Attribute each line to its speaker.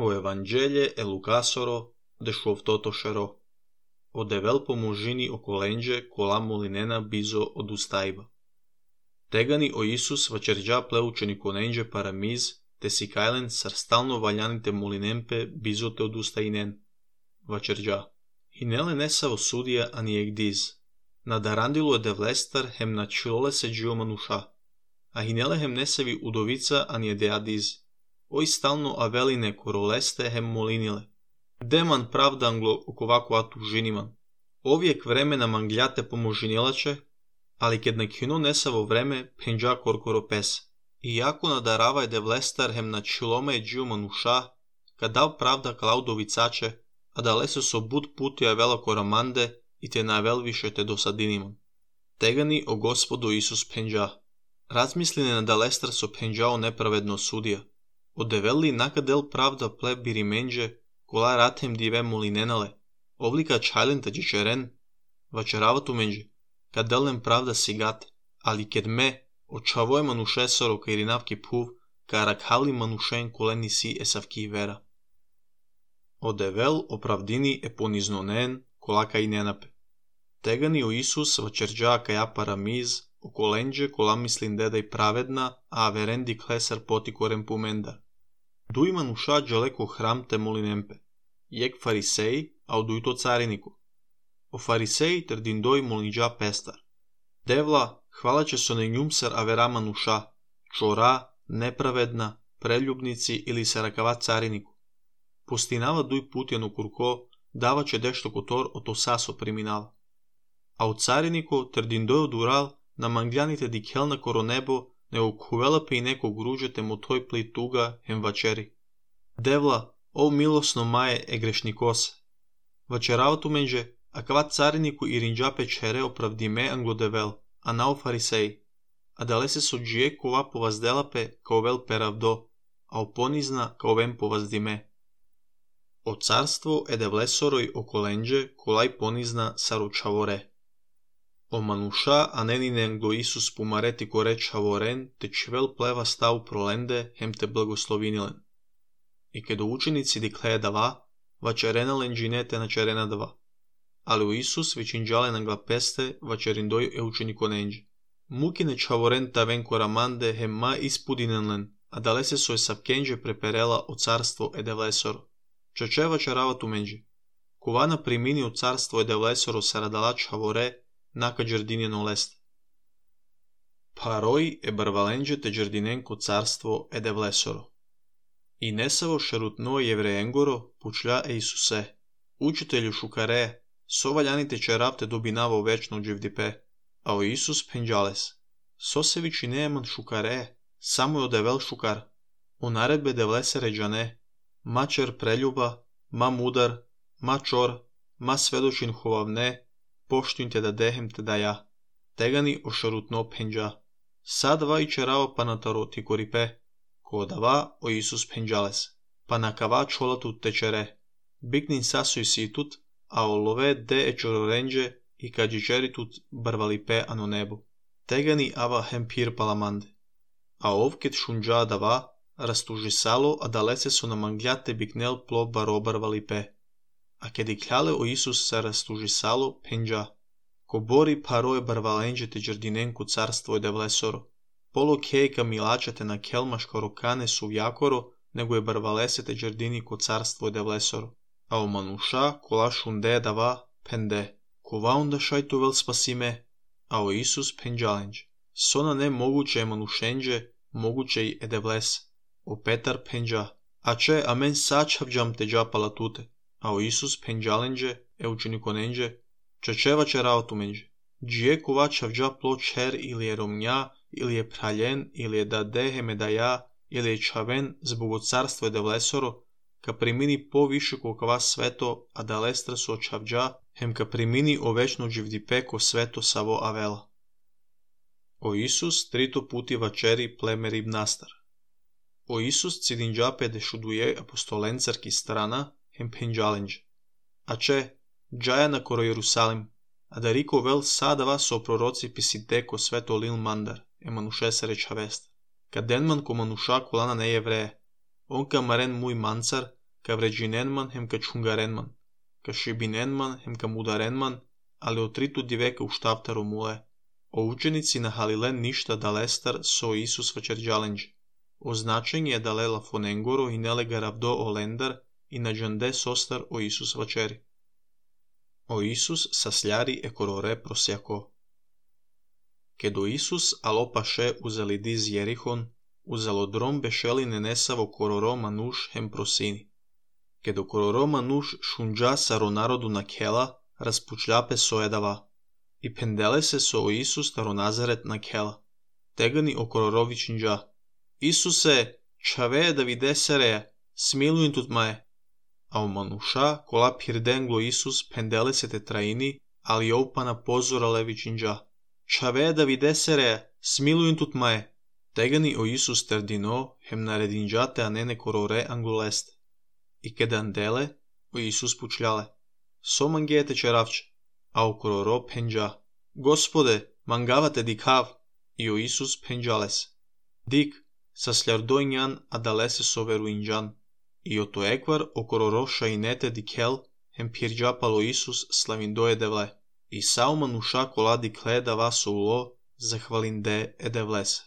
Speaker 1: O Evanghelie e Lucasoro de šovtotošero. O devel pomožini okolenge kola molinena bizo odustaiba. Tegani o Isus vačerđa pleučeni konenge paramiz, te si kajlen sarstalno valjanite molinempe bizo te odustainen. Vačerđa. Hinele nesavo sudija ani egdiz. Nadarandilo je devlestar hem na čilole se džio manuša. A hinele hem nesevi udovica ani je deadiz. Oj stalno aveline koroleste hem molinile. Deman pravda anglo okovako atu žiniman. Ovijek vremena mangljate pomožinilače, ali kad nekino nesavo vreme penđa korkoro pes. Iako nadarava je devlestar hem na čilome je džio manuša, kad dal pravda klaudovicače, a da lese so bud putija vela koramande i te navel više te dosadiniman. Tegani o Gospodu Isus penđa. Razmisline na da lestar so penđao nepravedno sudija. Odeveli nakadel pravda ple birimenđe, kola ratem dive molinenale, ovlika čajlen tađičeren, vačeravatu menđe, kad delem pravda sigat, ali ked me, očavoj manušesoro kairinavki puv, karakhavli manušen koleni si esavki vera. Odevel opravdini e poniznonen, kola kaj nenape. Tegani o Isus vačerđa kaja paramiz, okolenđe kola mislim dedaj pravedna, a averendi klesar potikorem pumendar. Duj manuša džaleko hram te molinempe. Jek fariseji, a oduj to cariniku. O fariseji trdindoj molinđa pestar. Devla, hvala će so ne njumsar avera manuša, čora, nepravedna, preljubnici ili sarakava cariniku. Postinava duj putjanu kurko, dava će dešto kotor o to saso priminava. A u cariniku trdindoj odural na mangljanite dikelna koro nebo, ne ukuvelape i neko gruđete mu toj pli tuga hem vačeri. Devla, o milosno maje e grešnikose. Vačeravatu menđe, a kava cariniku i rinđape čere opravdime anglo devel, a nao fariseji. A dale se so džije kova povazdelape kao vel peravdo, a oponizna kao vem povazdime. O carstvo e devlesoroj okolenđe kolaj ponizna saručavore. O manuša a nenine anglo Isus pumareti kore čavoren, te čvel pleva stav prolende hem te blagoslovinilen. I kedo učenici dikleje dava, vačerena lenđinete na čerena dava. Ali u Isus vičinđale nangla peste vačerindoj e učeniko nenđe. Mukine čavoren ta ven koramande hem ma ispudinenlen, a dale se soj savkenđe preperela o carstvo e devlesoro. Čače vačeravatu menđe. Kovana primini o carstvo e devlesoro saradala čavore, naka džardinjeno leste. Paroj e barvalenđe te džardinenko carstvo e devlesoro. I nesavo šerutno jevreengoro pučlja e Isuse. Učitelju šukare, so valjanite čeravte dobinavo večno dživdipe, a o Isus penđales. So se viči neeman šukare, samo je odevel šukar. O naredbe devlesere džane, ma čer preljuba, ma mudar, ma čor, ma svedočin hovavne, poštuin te da dehem te da ja. Tegani o šarutno penđa. Sad va i čerava panataro ti koripe, ko dava o Isus penđales. Pa nakava čolatu te čere. Biknin sasuj situt, a o love de e čororenđe i kađičeritut barvalipe ano nebo. Tegani ava hem pir palamande. A ovket šunđa dava, rastužisalo, a dalece su na mangljate biknel plo barobarvalipe. A kedi kljale o Isus sa rastužisalo penđa. Ko bori paroje barvalenđe te džardinenku carstvo je devlesoro. Polo kejka milačete na kelmaš korokane su jakoro, nego je barvalese te džardini ko carstvo je devlesoro. A o manuša kola šunde dava pende. Kova onda šajtu vel spasime, a o Isus penđalenđe. Sona ne moguće je manušenđe, moguće i edevles. O Petar penđa. A če amen sačavđam te džapala tute. A o Isus penđalenđe, e učenikonenđe, čečeva čerao menđe. Džije kova čavđa plo čer ili je romnja, ili je praljen, ili je da dehe medaja, ili je čaven zbog carstvo je devlesoro, ka primini po više kokava sveto, a da lestra su očavđa, hem ka primini o večno dživdipe ko sveto savo avela. O Isus trito puti vačeri plemerib nastar. O Isus cidinđape dešuduje apostolencarki strana, hem penđalenđe. A če, džaja na koro Jerusalim, a da riko vel sada vas o proroci pisideko sveto lil mandar, e manuše se reča vest. Kad denman ko manuša kolana ne jevreje, on ka maren muj mancar, ca vreginenman hem ca čungarenman, ca šibinenman hem ca mudarenman, ali otritu diveka u štavtaro mule. O učenici na Halilen ništa dalestar so Isus vačerđalenđe. Označen je dale la fonengoro i nelega ravdo o lendar i na džande sostar o Isus vačeri. O Isus sasljari e korore prosjako. Kedo Isus alopaše uzeli diz Jerihon, uzelo drom bešeli nenesavo kororo manuš hem prosini. Kedo kororo manuš šunđa saro narodu na kela, raspučljape soedava. I pendele se so o Isus taro Nazaret na kela. Tegani o kororovičinđa. Isuse, čave da videsereja, smilujem tut maje. A o manuša, kola pirdenglo Isus pendele se te traini, ali opana pozora levičinđa. Čave da videsereja, smilujem tut maje. Tegani o Isus terdino, hem naredinđate anene korore anguleste. I kedandele, o Isus pučljale. So mangete čeravče. A o kororo penđa. Gospode, mangavate dikav. I o Isus penđales. Dik, sasljardojnjan adalese soveru inđan. I o to ekvar o kororo šainete dikel hem pirđapalo Isus slavindoje devle. I sao manuša kola dikle da vaso ulo, zahvalinde edevlese.